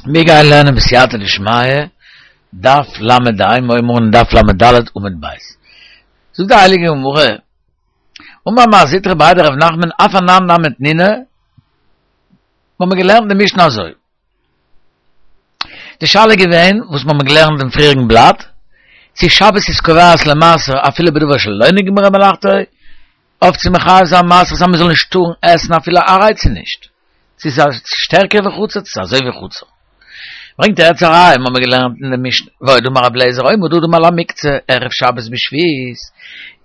מיר גייען לערנען בסייעתא דשמיא, דף ל ה, מיר הייבן אן דף ל ד עמוד ב'. זאגט די הייליגע גמרא, אמר מר זוטרא בריה דרב נחמן אף אנן נמי תנינא, מיר האבן געלערנט די משנה אזוי. די שאלה איז געווען, וואס מיר האבן געלערנט דעם פריעריגן בלאט, צו שבת איז קובעת למעשר אפילו בדבר שלא נגמרה מלאכתו, אויף צו מחייב זיין מעשר אז מען זאל נישט טארן עסן אפילו עראי צו נישט, צו ס'איז שטערקער ווי חצר צו ס'איז אזוי ווי חצר. ברענגט ער יעצט א ראיה, מיר האבן געלערנט אין די משנה, ועוד אמר רבי אליעזר עומד אדם על המוקצה ערב שבת בשביעית,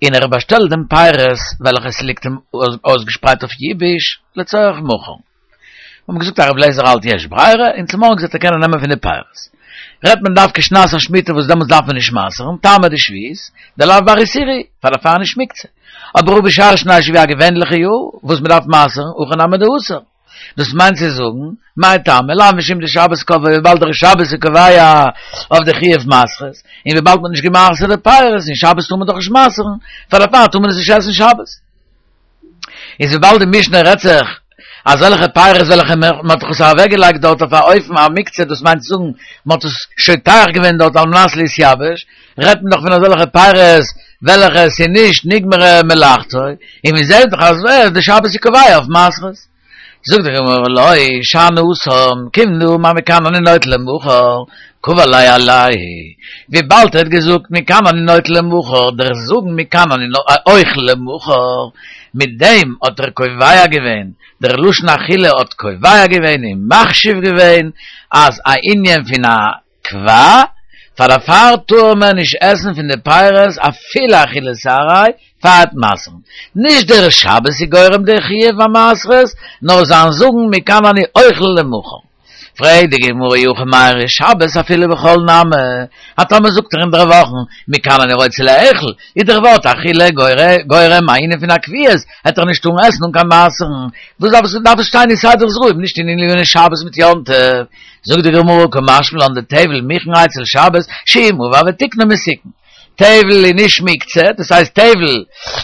און ער באשטעלט דעם פירות וועלכע ס'ליגט אים אויסגעשפרייט אויף ייבוש לצורך מחר. מיר האבן געזאגט אז רבי אליעזר האלט יש ברירה, און צומארגנס וועט ער קענען נעמען פון די פירות. רעדט מען דווקא שנת השמיטה וואס דעמאלטס דארף מען נישט מעשר'ן, טעמא דשביעית, דלאו בר איסורא, פאר דערפאר נישט מוקצה. אבער הא בשאר שני השבוע א געווענליכע יאר וואס מען דארף מעשר'ן, הכי נמי דאסור. דאס מיינט צו זאגן, מאי טעמא, לאו משום דשבת קבעה וויבאלד דער שבת איז קובע אויף די חיוב מעשרות, און וויבאלד מען האט נישט געמעשר'ט די פירות, און שבת טאר מען דאך נישט מעשר'ן, פאר דערפאר טאר מען עס נישט עסן שבת. איז וויבאלד די משנה רעדט זיך אזעלכע פירות וועלכע מען האט דאך עס אוועקגעלייגט דארט אויף א אופן א מוקצה דאס מיינט צו זאגן מען האט עס שוטח געווען דארט על מנת להתייבש רעדט מען דאך פון אזעלכע פירות וועלכע עס איז נישט נגמרה מלאכתו און מען זעט דאך אז די שבת איז קובע אויף מעשרות. זאגט די גמרא לא שאני התם כיון דאמר מכאן אני נוטל למחר קבע ליה עילויה וויבאלד ער האט געזאגט מכאן אני נוטל למחר דער זאגן מכאן אני אוכל למחר מיט דעם האט ער קובע געווען דער לשון אכילה האט קובע געווען און מחשיב געווען אז א ענין פון א קבע, פאר דערפאר טאר מען נישט עסן פון די פירות אפילו אכילת עראי פאר מעשר'ן. נישט דער שבת איז גורם די חיוב המעשרות, נאר זיין זאגן מכאן אני אוכל למחר. פרעגט די גמרא אי הכי מיירי שבת אפילו בחול נמי, אז טאמער זאגט ער אינדערוואכן מכאן אני רוצה לאכול, איז דער ווארט אכילה גורם א ענין פון א קביעות, העט ער נישט טארן עסן אן קיין מעשר'ן. וואס דארף עס דארף עס שטיין אין סדר זרעים נישט אין עניני שבת מיט יום טוב. זאגט די גמרא קא משמע לן דטבל מוכן אצל שבת שאם עבר ותיקנו מתוקן. טבל איז נישט מוקצה, דאס הייסט טבל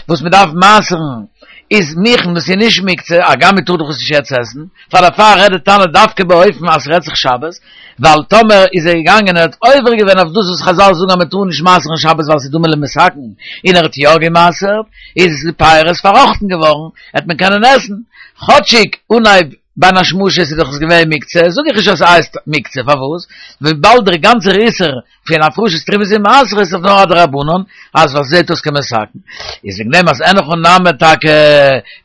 וואס מען דארף מעשר'ן איז מוכן דאס איז נישט מוקצה, הגם מען טאר דאך עס נישט יעצט עסן, פאר דערפאר רעדט די תנא דווקא באופן אז ס'רעדט זיך שבת, ווייל טאמער איז ער געגאנגען ער האט עובר געווען אויף דאס וואס חזל זאגן אז מען טאר נישט מעשר'ן שבת ווייל ס'איז דומה למתקן, און ער האט יא געמעשר'ט, איז די פירות פארראכטן געווארן, העט מען קענען עסן, כאטשיג אנהייב בין השמשות איז דאך עס געווען מוקצה, זאג איך נישט אז ס'הייסט מוקצה, פארוואס? וויבאלד דער גאנצער איסור פון הפרשת תרומות ומעשרות איז דאך נאר א דרבנן, אז וואס זעט אויס כמתקן. איז וועגן דעם אז אין הכי נמי טאקע,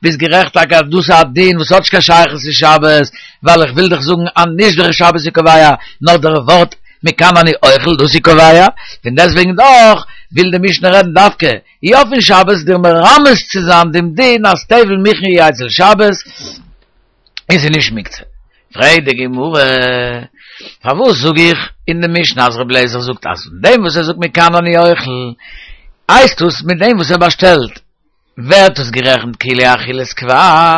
ביסט גערעכט טאקע אז דאס איז א דין וואס האט נישט קיין שייכות צו שבת, ווייל איך וויל דיך זאגן אז נישט דער שבת איז קובע, נאר דער ווארט מכאן אני אוכל דאס איז קובע, פון דעסטוועגן דאך וויל די משנה רעדן דווקא יא פון שבת דיר מרמז צו זיין דעם דין אז טבל מוכן הוא אצל שבת איז ער נישט מוקצה. פרעגט די גמרא, פארוואס זאג איך אין די משנה אז רבי אליעזר זאגט אז פון דעם וואס ער זאגט מכאן אני אוכל, הייסט עס מיט דעם וואס ער באשטעלט ווערט עס גערעכנט כאילו אכילת קבע,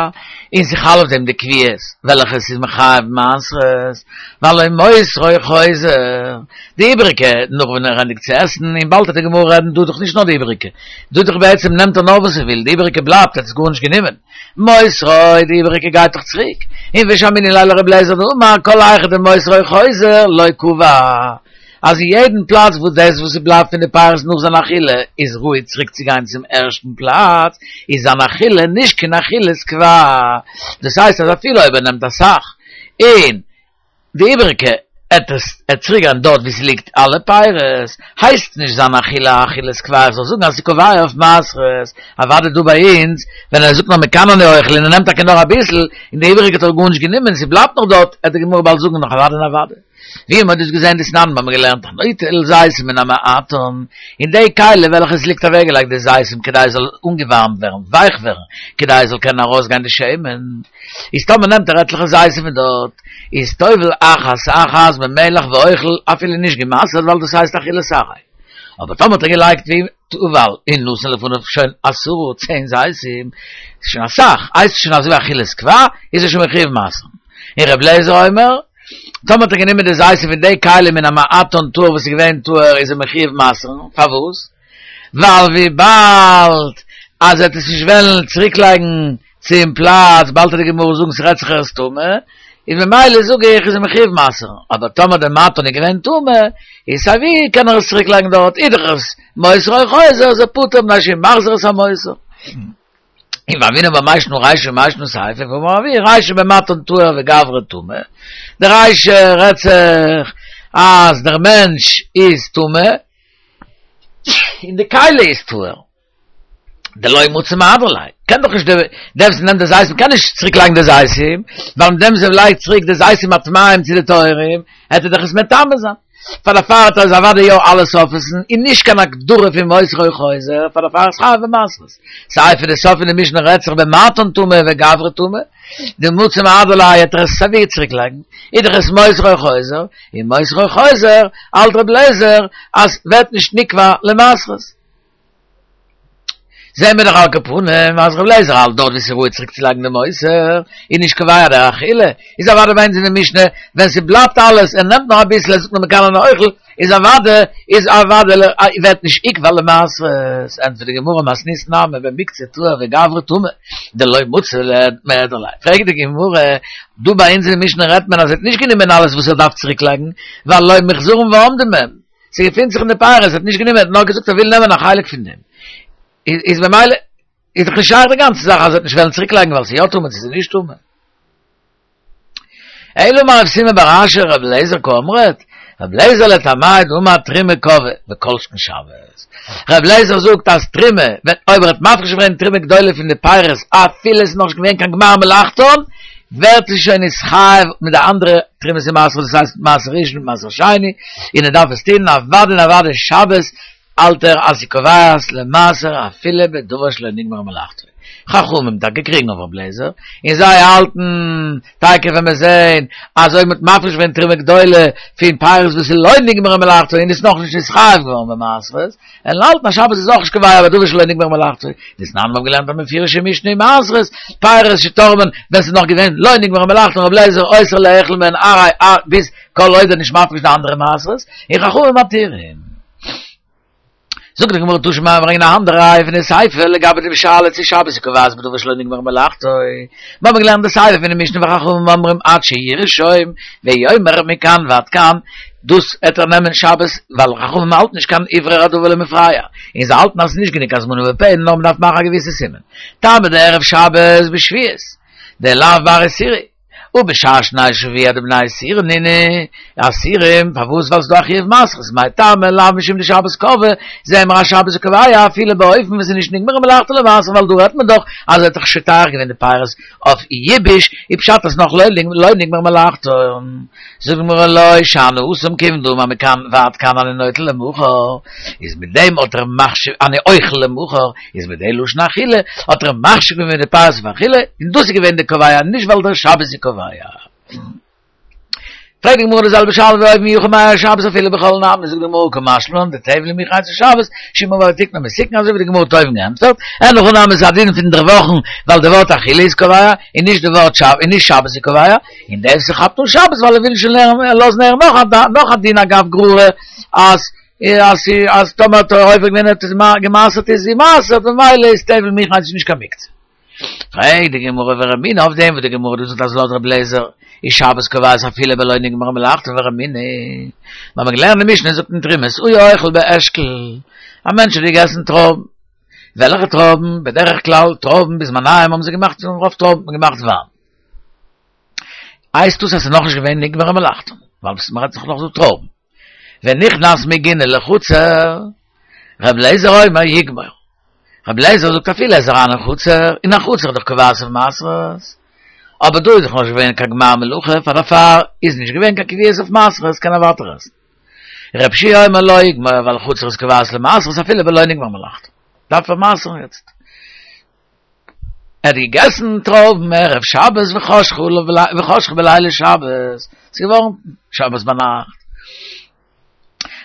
און ס'חל אויף דעם די קביעות וועלכע ס'איז מחייב מעשרות, והלא מותרו חוזר, די איבעריגע נאך ווען ער ענדיגט צו עסן, און באלד וועט די גמרא רעדן דא דאך נישט נאר די איבעריגע, דא דאך בעצם נעמט ער נאר וואס ער וויל, די איבעריגע בלייבט, ער האט עס גארנישט גענומען, מותרו, די איבעריגע גייט דאך צוריק, און ושמעינן ליה לר' אליעזר דאמר כל היכא דמותרו חוזר לא קבע. אז אין יעדן פלאץ וואס דאס וואס ס'בלייבט פון די פירות נאך זיין אכילה איז ראוי צוריק צו גיין צום ערשטן פלאץ, איז זיין אכילה נישט קיין אכילת קבע. דאס הייסט אז אפילו אויב ער נעמט אסאך און די איבעריגע עט עס עט צוריק גיין דארט וואו ס'ליגט אלע פירות, הייסט נישט זיין אכילה א אכילת קבע, איך זאל זאגן אז ס'איז קובע אויף מעשרות. אוודאי דא ביי אונז ווען ער זאגט נאר מכאן אני אוכל און ער נעמט טאקע נאר אביסל און די איבעריגע האט ער גארנישט גענומען ס'בלייבט נאך דארט, עט די גמרא באלד זאגן נאך אוודאי און אוודאי. ווי מ'האט דאס געזען דתנן מ'האבן געלערנט הנוטל זיתים מן המעטן, אין די כלי וועלכע עס ליגט אוועקגעלייגט די זיתים כדי עס זאל אנגעווארעמט ווערן, ווייך ווערן, כדי עס זאל קענען ארויסגיין די שמן, איז טאמער נעמט ער עטליכע זיתים פון דארט, איז טובל אחת אחת במלח ואוכל, אפילו נישט גע'מעשר'ט ווייל דאס הייסט אכילת עראי. אבער טאמער האט ער געלייגט ווי טבל און נתן לפניו שוין עשרה צען זיתים, איז שוין אסאך, הייסט עס שוין אזוי ווי אכילת קבע, איז ער שוין מחויב מעשר. און ר' אליעזר אומר, טאמער האט ער גענומען די זיתים פון די כלי מן המעטן טהור וואס איז געווען טהור איז ער מחויב מעשר'ן, פארוואס? ווייל וויבאלד אז ער וועט עס נישט וועלן צוריק לייגן צום פלאץ, באלד וועט די גמרא זאגן ס'רעדט זיך ער איז טמא, איז ממילא זאג איך איז ער מחויב מעשר'ן, אבער טאמער די מתן איז געווען טמא, איז סיי ווי קען ער עס צוריק לייגן דארט, איז דאך עס מותר או חוזר, איז ער פטור מפני שהוא מחזיר את המותר. און והוינן בה מאי שנא רישא ומאי שנא סיפא, ואמר רב רישא במתן טהור וגברא טמא, די רישא רעדט זיך אז דער מענטש איז טמא, און די כלי איז טהור. דלא מצי מהדרא ליה, קען דאך נישט דער וואס נעמט די זיתים קען נישט צוריק לייגן די זיתים, ווייל מיט דעם וואס ער לייגט צוריק די זיתים הטמאים צו די טהורים, העט ער דאך עס מטמא זיין. פאר דערפאר האט ער עס אוודאי יא אלעס אויפעסן, און נישט קיין הגדרה פון מותר או חוזר, פאר דערפאר איז חייב במעשרות. סיפא די סוף פון די משנה רעדט זיך במתן טמא וגברא טמא, דמצי מהדר ליה העט ער עס סייווי צוריק לייגן, איז דאך עס מותר או חוזר, און מותר או חוזר האלט רבי אליעזר אז ווערט נישט נקבע למעשרות. זעהן מיר דאך על כל פנים אז רבי אליעזר האלט דארט ווי ס'איז ראוי צוריק צו לייגן די מותר איז נישט קובע די אכילה, איז אוודאי ביי אונז אין די משנה ווען ס'בלייבט אלעס ער נעמט נאר אביסל ער זאגט נאר מכאן אני אוכל איז אוודאי איז אוודאי ווערט נישט נקבע למעשרות, ענטפערט די גמרא מתניתין נמי במקצה טהור וגברא טמא דלא מצי מהדר ליה, פרעגט די גמרא דא ביי אונז אין די משנה רעדט מען אז ער האט נישט גענומען אלעס וואס ער דארף צוריק לייגן ווייל לא מיחזרן ועומדין מהם. ס'געפינט זיך אין די פירות, ער האט נישט גענומען, ער האט נאר געזאגט ער וויל נעמען א חלק פון דעם. איז במילא איז דאך נישט שייך די גאנצע זאך אז ער וועט נישט וועלן צוריק לייגן ווייל ס'איז יא טמא צו ס'איז נישט טמא. אלא אמר רב סימא בר אשי רבי אליעזר קאמרת, רבי אליעזר לטעמיה דאמר תרומה קבעה וכל שכן שבת. רבי אליעזר זאגט אז תרומה, ווען אויב ער האט מפריש געווען תרומה גדולה פון די פירות אפילו עס איז נאכנישט געווען קיין גמר מלאכתן, ווערט זי שוין נתחייב מיט די אנדערע תרומות און מעשרות, דאס הייסט מעשר ראשון און מעשר שני, און ער דארף עס טון אוודאי און אוודאי שבת, האלט ער אז ס'איז קובעת למעשר אפילו בדבר שלא נגמרה מלאכתו. חכמים טאקע קריגן אויף רב לעזער, און זיי האלטן טאקע ווען מיר זעהן אז אויב מ'האט מפריש געווען תרומה גדולה פון פירות וואס איז לא נגמרה מלאכתו און איז נאכנישט נתחייב געווארן במעשרות, און האלטן אז שבת איז אויך נישט קובע בדבר שלא נגמרה מלאכתו, דתנן מ'האט געלערנט א מפורש'ע משנה אין מעשרות, פירות שתרמן ווען ס'איז נאך געווען לא נגמרה מלאכתו רב לעזער אוסר לאכול מהן ארעי ביז כל עוד ער נישט מפריש די אנדערע מעשרות, און חכמים מתירים. זאגט די גמרא תא שמע ברענגען א אנדערע ראיה פון די סיפא לגבי די שאלה צו שבת איז קובעת בדבר שלא נגמרה מלאכתו, מיר האבן געלערנט די סיפא פון די משנה וחכמים אומרים עד שירשום ויאמר מכאן ועד כאן, דאס העט ער נעמען שבת ווייל חכמים האלטן נישט קיין הוברר הדבר למפרע, און זיי האלטן אז ס'איז נישט גענוג הזמנה בפה נאר מ'דארף מאכן א געוויסע סימן. טעמא דערב שבת בשביעית דלאו בר איסורא ובשאר שני שבוע דבני איסורא נינהו אסורים, פארוואס ווייל ס'דא א חיוב מעשרות, מאי טעמא לאו משום דשבת קבעה, זעהן מיר אז שבת איז קובע אפילו באופן וואס איז נישט נגמרה מלאכתו למעשר ווייל דא רעדט מען דאך אז ער האט דאך שוטח געווען די פירות אויף ייבוש, איז פשט אז נאך לא נגמרה מלאכתו. זאגט די גמרא לא שאני התם כיון דאמר מכאן ועד כאן אני נוטל למחר, איז מיט דעם האט ער מחשיב אני אוכל למחר, איז מיט די לשון אכילה האט ער מחשיב געווען די פירות אויף אכילה, און דאס איז געווען די קובע נישט ווייל דער שבת איז קובע. פרעגט די גמרא די זעלבע שאלה ווי אויבן אי הכי מאי שבת אפילו בחול נמי, זאגט די גמרא קא משמע לן דטבל מיחי אצל שבת שאם עבר ותיקנו מתוקן אזוי ווי די גמרא האט אויבן געענטפערט, אין הכי נמי איז א דין פון דערוואכן ווייל די ווארט אכילה איז קובע און נישט די ווארט שבת און נישט שבת איז קובע, און דער וואס כאפט אן שבת ווייל ער וויל שוין לערנען לאזן הערן נאך א נאך א דין אגב גררא אז אז אז טאמער האט ער עובר געווען האט עס גע'מעשר'ט איז זי מעשר'ט ממילא איז טבל מיחי איז נישט קיין מוקצה. פרעגט די גמרא ורמינהי אויף דעם וואס די גמרא דא זאגט אז לויט רבי אליעזר איז שבת קובעת אפילו בלא נגמרה מלאכתו ורמינהי מיר האבן געלערנט די משנה זאגט אין תרומות היה אוכל באשכול א מענטש האט געגעסן טרויבן וועלכע טרויבן? בדרך כלל טרויבן בזמניהם האבן זיי געמאכט פון רוב טרויבן האט מען געמאכט וויין הייסט דאס אז ס'איז נאכנישט געווען נגמרה מלאכתו ווייל מ'רעדט זיך נאך דא טרויבן ונכנס מגינה לחצר ר' אליעזר אומר יגמור רבי אליעזר זאגט אפילו ער איז אריין אין חצר, אין א חצר איז דאך קובעת אויף מעשרות, אבער דא איז דאך נאכנישט געווען קיין גמר מלאכה, פאר דערפאר איז נישט געווען קיין קביעות אויף מעשרות, קען ער ווייטער עסן. רבי יהושע אומר לא יגמור ווייל חצר איז קובעת למעשרות אפילו בלא נגמר מלאכתו. דארף ער מעשר'ן יעצט. ער האט געגעסן טרויבן ערב שבת וחשכה בלילי שבת, ס'איז געווארן שבת ביינאכט.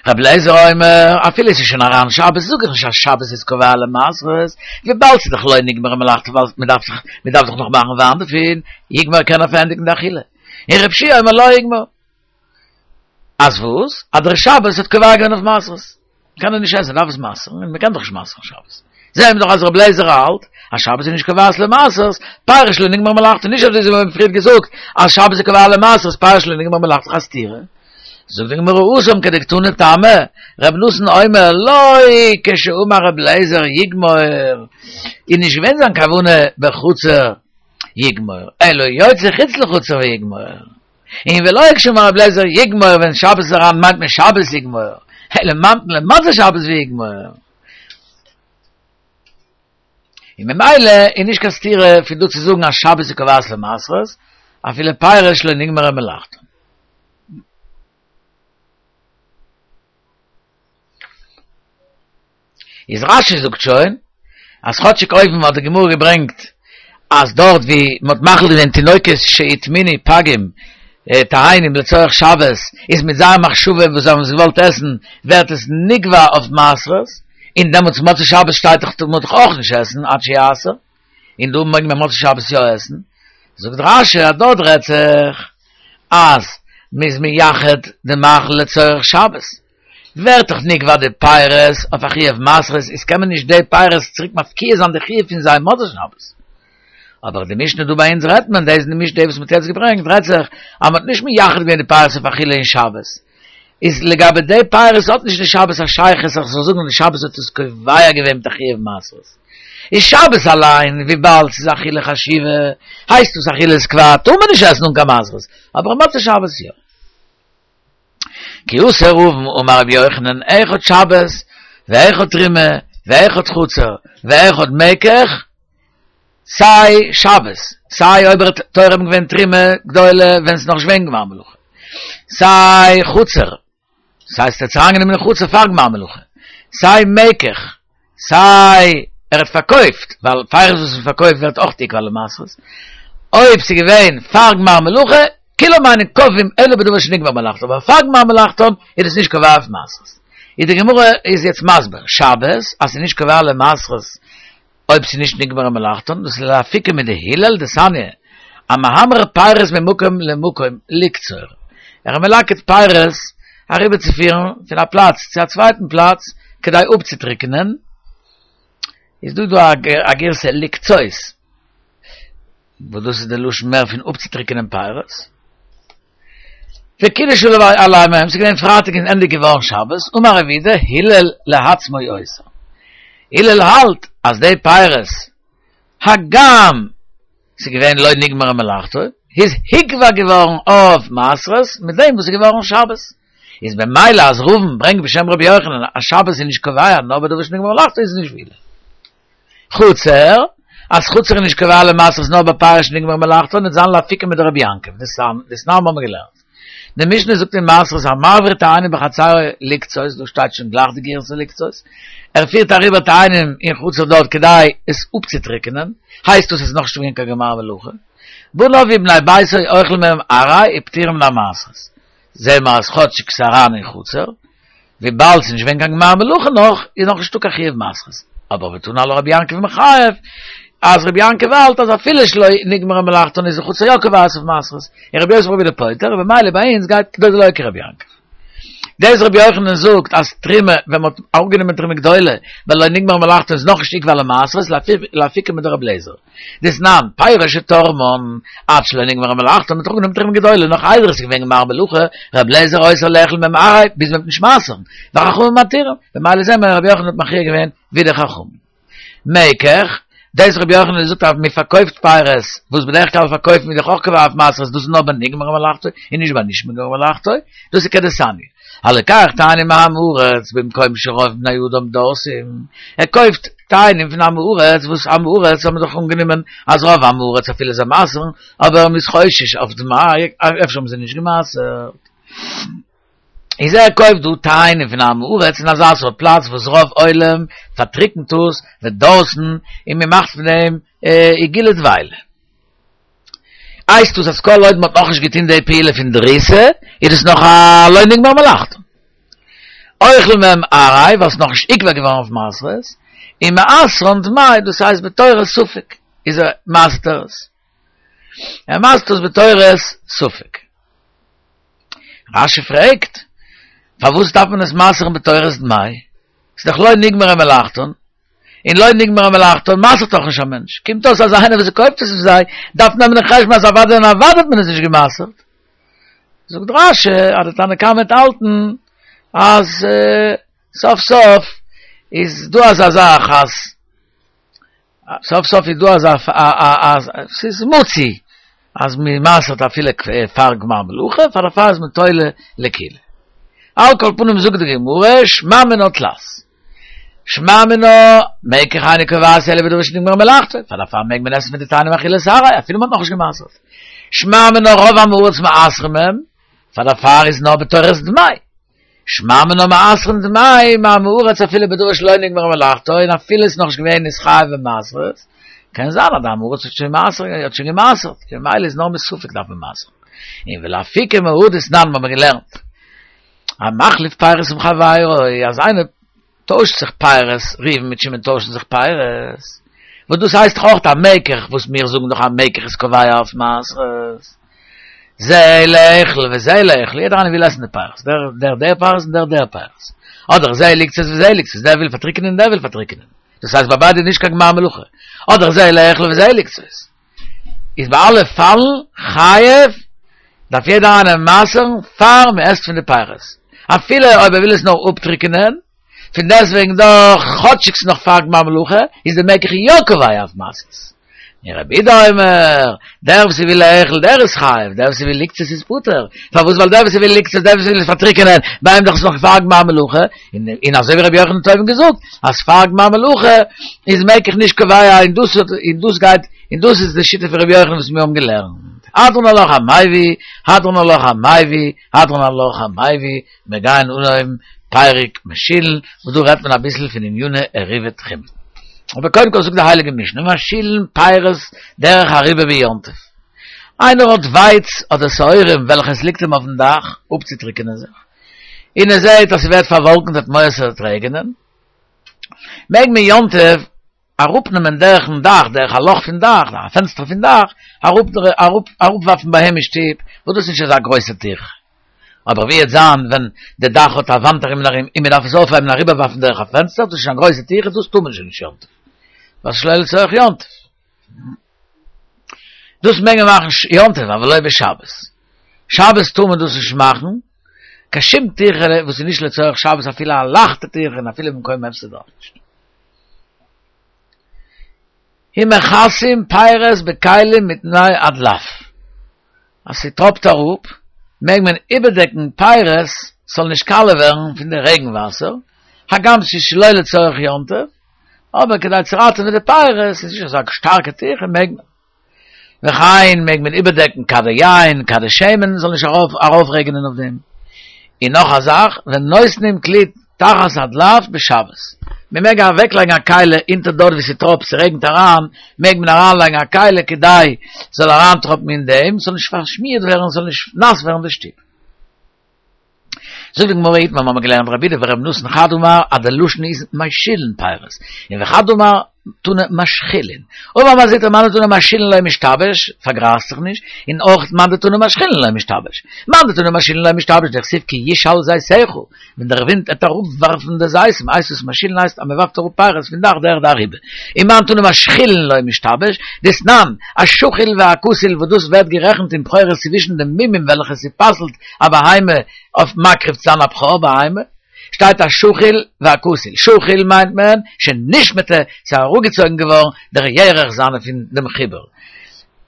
רבי אליעזר אומר, אפילו עס איז שוין אריין שבת, זאג איך נישט אז שבת איז קובע למעשרות, וויבאלד ס'איז דאך לא נגמרה מלאכתו ווייל מען דארף דאך מען דארף דאך נאך מאכן וויין דערפון, יגמור קען ער פארענדיגן די אכילה. און רבי יהושע אומר לא יגמור. אז וואס? אז דער שבת האט קובע געווען אויף מעשרות. קען ער נישט עסן, דארף עס מעשר'ן, און מען קען דאך נישט מעשר'ן שבת. זעהן מיר דאך אז רבי אליעזר האלט אז שבת איז נישט קובעת למעשרות, פירות שלא נגמר מלאכתו, נישט אזוי ווי מיר האבן פריער געזאגט אז שבת איז קובע למעשרות, פירות שלא נגמר מלאכתו א סתירה. זאגט די גמרא התם כדקתני טעמא, רבי נתן אומר לא כשאמר רבי אליעזר יגמור, איז נישט געווען זיין כוונה בחצר יגמור, אלא יוצא חוץ לחצר ויגמור. און ולא כשאמר רבי אליעזר יגמור ווען שבת איז אריין מיינט מען שבת יגמור, אלא ממתין למוצאי שבת ויגמור. און ממילא איז נישט קיין סתירה פון דא צו זאגן אז שבת איז קובעת למעשרות, אפילו פירות שלא נגמרה מלאכתן. איז רשי זאגט שוין אז כאטשיג אויבן האט די גמרא געברענגט אז דארט ווי מען האט מאכיל געווען תינוקות שהטמינו פגים תאנים לצורך שבת איז מיט זייער מחשבה וואס זיי האבן עס געוואלט עסן ווערט עס נקבע אויף מעשרות און דעמאלטס מוצאי שבת שטייט דאך טאר מען דאך אויך נישט עסן עד שיעשר און דא מעג מען מוצאי שבת יא עסן זאגט רשי אז דארט רעדט זיך אז מען איז מייחד די מאכל לצורך שבת. ווערט דאך נקבע די פירות אויף א חיוב מעשרות, איז קען מען נישט די פירות צוריק מפקיע זיין די חיוב פון זיי מוצאי שבת. אבער די משנה דא ביי אונז רעדט מען, דאס איז די משנה וואס מ'האט יעצט געברענגט, רעדט זיך אז מ'האט נישט מייחד געווען די פירות אויף אכילה אין שבת, איז לגבי די פירות האט נישט די שבת א שייכות אז כ'זאל זאגן די שבת האט עס קובע געווען מיט א חיוב מעשרות. איז שבת אליין וויבאלד ס'איז אכילה חשובה הייסט עס אכילת קבע טאר מען נישט עסן אן קיין מעשרות, אבער מוצאי שבת יא. כי אתא רבין אמר רבי יוחנן אחד שבת ואחד תרומה ואחד חצר ואחד מקח סיי שבת סיי אויב ער האט תורם געווען תרומה גדולה ווען ס'איז נאך נישט געווען גמר מלאכה סיי חצר ס'הייסט ער האט עס אריינגענומען אין חצר פאר גמר מלאכה סיי מקח סיי ער האט פארקויפט, ווייל פירות וואס מען פארקויפט ווערט אויך נקבע למעשרות, אויב ס'איז געווען פאר גמר מלאכה, כולם אינן קובעים אלא בדבר שנגמר מלאכתו, אבער פאר גמר מלאכתו איז עס נישט קובע אויף מעשרות. איז די גמרא איז יעצט מסביר, שבת אז ס'איז נישט קובע למעשרות אויב ס'איז נישט נגמר מלאכתו, דאס איז לאפוקי מדהלל דתניא, המעמר פירות ממקום למקום לקצור, ער איז מלקט פירות אריבערצופירן פון א פלאץ צו א צווייטן פלאץ כדי אפצוטריקענען, איז דא דא א גירסא לקצות, וואס דאס איז די לשון מער פון אפצוטריקענען פירות. וקידש עליהם היום, ס'איז געווען פרייטאג און ענדיג געווארן שבת, אמר רב יהודה, הלל לעצמו אוסר. הלל האלט אז די פירות, הגם ס'איז געווען לא נגמרה מלאכתו, איז הוקבע געווארן אויף מעשרות מיט דעם וואס איז געווארן שבת. איז במילא אז רבין ברענגט בשם רבי יוחנן אז שבת איז נישט קובע נאר בדבר שנגמרה מלאכתו איז נישט ווי הלל. חצר, אז חצר איז נישט קובע למעשרות נאר בפירות שנגמרה מלאכתו וועט זיין לאפוקי מדרבי יעקב, דתנן האבן מיר געלערנט. די משנה זאגט אין מעשרות המעביר תאנים בחצרו לקצות, דא שטייט שוין גלייך די גירסא לקצות, ער פירט אריבער תאנים אין חצר דארט כדי עס אפצוטריקענען, הייסט דאס עס איז נאכנישט געווען קיין גמר מלאכה. בניו ובני ביתו אוכלים מהם עראי ופטורים מן המעשרות. זעהן מיר אז כאטשיג ס'איז אריין אין חצר, וויבאלד ס'איז נישט געווען קיין גמר מלאכה נאך, איז נאך נישטא קיין חיוב מעשרות. אבער ותני עלה רבי יעקב מחייב, אז רבי יעקב האלט אז אפילו שלא נגמרה מלאכתן איז די חצר יא קובעת אויף מעשרות, און רבי יוסי ברבי יהודה פוטר, ובמילא ביי אונז גייט דלא כרבי יעקב. דאס רבי יוחנן זאגט אז תרומה, ווען מ'האט אראפגענומען תרומה גדולה, ווייל לא נגמרה מלאכתן איז נאכנישט נקבע למעשרות, לאפוקי מדרבי אליעזר. דתנן, פירות שתרמן, עד שלא נגמרה מלאכתן, מ'האט אראפגענומען תרומה גדולה, נאך איידער עס איז געווען גמר מלאכה, רבי אליעזר אוסר לאכול מהם עראי, ביז מ'וועט נישט מעשר'ן, וחכמים מתירים, במילא זעהן מיר רבי יוחנן האט מכריע געווען ווי די חכמים. מקח, דאס רבי יוחנן זאגט אז מען פארקויפט פירות, וואס בדרך כלל פארקויפט מען דאך אויך קובע אויף מעשרות, דאס איז נאר ביי נגמרה מלאכתו און נישט ביי נישט נגמרה מלאכתו, דאס איז כדתניא. הלוקח תאנים מעם הארץ במקום שרוב בני אדם דורסים, ער קויפט תאנים פון עם הארץ, וואס עם הארץ האבן דאך אנגענומען אז רוב עם הארץ אפילו זיי מעשר'ן, אבער מ'איז חושש אויף דמאי, אפשר האבן זיי נישט געמעשר'ט. איז ער קויפט דא תאנים פון עם הארץ אין אזא סארט פלאץ וואס רוב עולם פארטריקנט עס ודורסין און מ'מאכט פון דעם עיגולי דבילה. הייסט דאס אז כל עוד מ'האט נאכנישט געטון די פעולה פון דריסה איז דאס נאך א לא נגמר מלאכתו. אוכל מהם עראי ווייל ס'איז נאכנישט נקבע געווארן אויף מעשרות, און מעשרן דמאי דאס הייסט בתורת ספק איז ער מעשר'ט עס. ער מעשר'ט עס בתורת ספק. רש"י פרעגט, פארוואס דארף מען עס מעשר'ן בתורת דמאי? ס'איז דאך לא נגמרה מלאכתן. און לא נגמרה מלאכתו מעשר'ט דאך נישט א מענטש, קומט אויס אז איינער וואס קויפט עס פון זיי דארף נעמען אין חשבון אז אוודאי און אוודאי האט מען עס נישט גע'מעשר'ט. זאגט רש"י אז די תנא קמא וועט האלטן אז סוף סוף איז דא אזא זאך אז סוף סוף איז דא אזא אז ס'איז מצוי אז מען מעשר'ט אפילו פאר גמר מלאכה, פאר דערפאר איז מען תולה לקולא. על כל פנים זאגט די גמרא שמע מינה תלת. שמע מינה, מקח אינו קובעת אלא בדבר שנגמרה מלאכתו, פאר דערפאר מעג מען עסן פון די תאנים אכילת עראי אפילו מען האט נאכנישט גע'מעשר'ט. שמע מינה רוב עמי הארץ מעשרים הם, פאר דערפאר איז נאר בתורת דמאי. שמע מינה מעשרין דמאי מעמי הארץ אפילו בדבר שלא נגמרה מלאכתו, און אפילו עס איז נאכנישט געווען נתחייב במעשרות, קען זיין אז די עם הארץ האט שוין מעשר האט שוין גע'מעשר'ט, ממילא איז נאר מספק דארף מען מעשר'ן. און ולאפוקי מהא דתנן האבן מיר געלערנט. המחליף פירות עם חברו, אז איינער טוישט זיך פירות, ראובן מיט שמעון טוישן זיך פירות, וואס דאס הייסט דאך אויך א מקח, וואס מיר זאגן דאך א מקח איז קובע אויף מעשרות, זה לאכול וזה לאכול, יעדער איינער וויל עסן די פירות, דער דער דער פירות און דער דער פירות, אדער זה לקצות וזה לקצות, דער וויל פארטריקענען און דער וויל פארטריקענען, דאס הייסט ביי ביידע איז נישט קיין גמר מלאכה, אדער זה לאכול וזה לקצות. איז ביי אלע פאלן חייב, דארף יעדער איינער מעשר'ן פאר מען עסט פון די פירות, אפילו אויב ער וויל עס נאר אפטריקענען, פון דעסטוועגן דאך כאטשיג ס'איז נאך פאר גמר מלאכה, איז די מקח יא קובע אויף מעשרות. און רבי יהודה אומר, דער וואס וויל לאכול דער איז חייב, דער וואס וויל לקצות איז פטור, פארוואס ווייל דער וואס וויל לקצות דער וואס וויל עס פארטריקענען, ביי אים דאך איז נאך פאר גמר מלאכה, און אזוי ווי רבי יוחנן האט אויבן געזאגט, אז פאר גמר מלאכה איז מקח נישט קובע און דאס און דאס גייט און דאס איז די שיטה פון רבי יוחנן וואס מיר האבן געלערנט. הדרן עלך המביא, הדרן עלך המביא, הדרן עלך המביא, מיר גייען אנהויבן פרק משילין, וואס דא רעדט מען אביסל פון עניני עירובי תחומין. אבער קודם כל זאגט די הייליגע משנה, משילין פירות דרך אריבה ביום טוב. איינער האט ווייץ אדער שעורים וועלכע עס ליגט אים אויפן דאך אפצוטריקענען זיך, און ער זעט אז ס'ווערט פארוואלקנט האט מורא ס'וועט רעגענען, מעג מען יום טוב אראפנעמען דורכן דאך, דורך א לאך פון דאך, א פענסטער פון דאך, אראפווארפן ביי אים אין שטוב, וואס דאס איז נישט אזא גרויסע טירחה. אבער ווי וועט זיין ווען די דאך האט א וואנט ארום און ארום און מען דארף עס אויפהייבן און אריבערווארפן דורך א פענסטער, דאס איז שוין א גרויסע טירחה, דאס טאר מען שוין נישט יום טוב, ווייל ס'איז שלא לצורך יום טוב. דאס מעג מען מאכן יום טוב, אבל לא בשבת. שבת טאר מען דאס נישט מאכן, קיין שום טירחה וואס איז נישט לצורך שבת אפילו א לייכטע טירחה און אפילו במקום הפסד אויך נישט. ומכסין פירות בכלים מפני הדלף, אז ס'טראפט אראפ מעג מען איבערדעקן פירות ס'זאל נישט קאלע ווערן פון די רעגן וואסער, הגם ס'איז שלא לצורך יום טוב, אבער כדי צו ראטעווען די פירות, ס'איז נישט אזא שטארקע טירחה מעג מען. וכן מעג מען איבערדעקן כדי יין, כדי שמן, זאל נישט ארויף רעגענען אויף דעם. און נאך א זאך, ונותנים כלי תחת הדלף בשבת. מען מעג אוועקלייגן א כלי אונטער דארט וואו ס'טראפט, ס'רעגנט אריין, מעג מען אריינלייגן א כלי כדי ס'זאל אריינטראפן אין דעם, ס'זאל נישט פארשמירט ווערן, ס'זאל נישט נאס ווערן די שטוב. זאגט די גמרא איתמר מ'האמיר געלערנט רבי יהודה ורבי נתן חד אמר אז די לשון איז משילין פירות און וחד אמר תנא משחילין אמר מר זוטרא מאן דתנא משילין לא משתבש פארגרייזט זיך נישט און אויך מאן דתנא משחילין לא משתבש מאן דתנא משילין לא משתבש דכתיב כי ישל זיתיך ווען דער ווינט עט אראפ ווארפן די זיתים הייסט עס משילין הייסט אז מען ווארפט אראפ פירות פון דאך דרך די אריבה און מאן דתנא משחילין לא משתבש דתנן השחיל והכסיל וואס דאס ווערט גערעכנט אין בכורות צווישן די מומים וועלכע ס'פסל'ט א בהמה אויף מקריב צו זיין א בכור בהמה, שטייט השחיל והכסיל, שחיל מיינט מען שנשמטה, ס'איז אראפגעצויגן געווארן דער ירך זיינע פון דעם חיבור,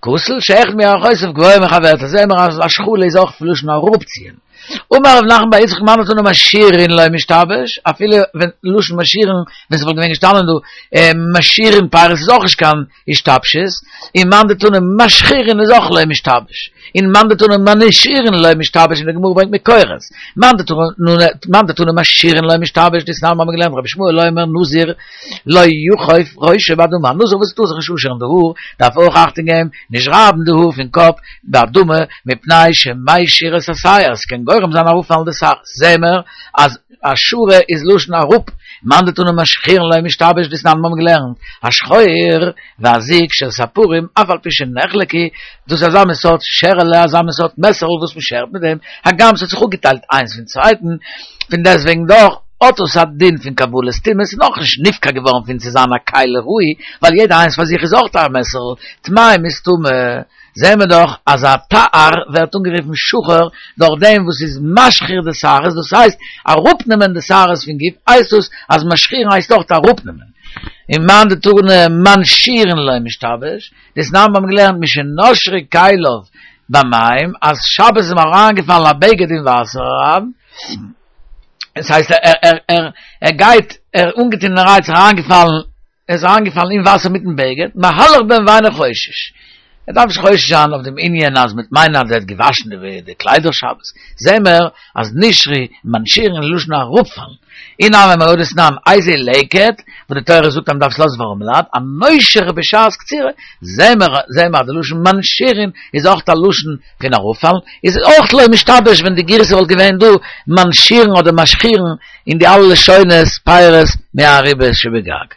כסיל שאחד מירכותיו גבוה מחברתו, זעהן מיר אז השחלה איז אויך פון לשון אראפציען. אמר רב נחמן בר יצחק מאן דתנא משירין לא משתבש, אפילו ווען לשון משירין, ווען ס'וואלט געווען געשטאנען דא משירין פירות איז אויך נישט קיין השתבשות, און מאן דתנא משחירין איז אויך לא משתבש, און מאן דתנא מנשירין לא משתבש און די גמרא ברענגט מקורות, מאן דתנא משירין לא משתבש דתנן מ'האמיר געלערנט רבי ישמעאל אומר נזיר לא יחוף ראשו באדמה, א נזיר וואס טאר זיך נישט אפשערן די האר דארף אויך אכטונג געבן נישט רייבן די האר פון קאפ באדמה מפני שמשיר את השער, ס'קען גורם זיין אראפפאלן די שערות, זעמער אז השרה איז לשון אראפ, מאן דתנא משחירין לא משתבש דתנן מ'האבן געלערנט, השחור והזוג של ספרים אף על פי שנחלקו, דאס איז אזא מין סארט שערעלע אזא מין סארט מעסערל וואס מ'שערט מיט דעם, הגם ס'האט זיך אפגעטיילט איינס פון צווייטן, פון דעסטוועגן דאך. האט עס א דין פון קבלת טומאה, ס'איז נאכנישט נפקע געווארן פון צו זיין א כלי ראוי, ווייל יעדע איינס פאר זיך איז אויך א מעסערל, טמאים איז טמא. זעהן מיר דאך אז א תער ווערט אנגערופן שחור דורך דעם וואס איז משחיר די שערות, דאס הייסט אראפנעמען די שערות פון גוף, הייסט דאס אז משחירין הייסט אויך אראפנעמען. און מאן דתני מנשירין לא משתבש, דתנן מיר האבן געלערנט משנשרו כליו במים, אז שבת איז אים אריינגעפאלן א בגד אין וואסער אריין, עס הייסט ער ער ער גייט ער אנגעטון איז אריינגעפאלן ער איז אריינגעפאלן אין וואסער מיטן בגד, מהלך בהן ואינו חושש. ער דארף נישט חושש זיין אויף דעם ענין אז מ'וועט מיינען אז ער האט געוואשן די קליידער שבת. זעהן מיר אז נשרו מנשירין לשון אראפפאלן. אי נמי מהא דתנן איזהו לקט, וואס די תורה זאגט אז מ'דארף עס לאזן פאר ארעמעלייט, הנושר בשעת קצירה, זעהן מיר זעהן מיר אז די לשון מנשירין איז אויך א לשון פון אראפפאלן, איז אויך לא משתבש ווען די גירסא וואלט געווען דא מנשירין אדער משחירין אין די אלע לשונות פירות מהריבית שבגג.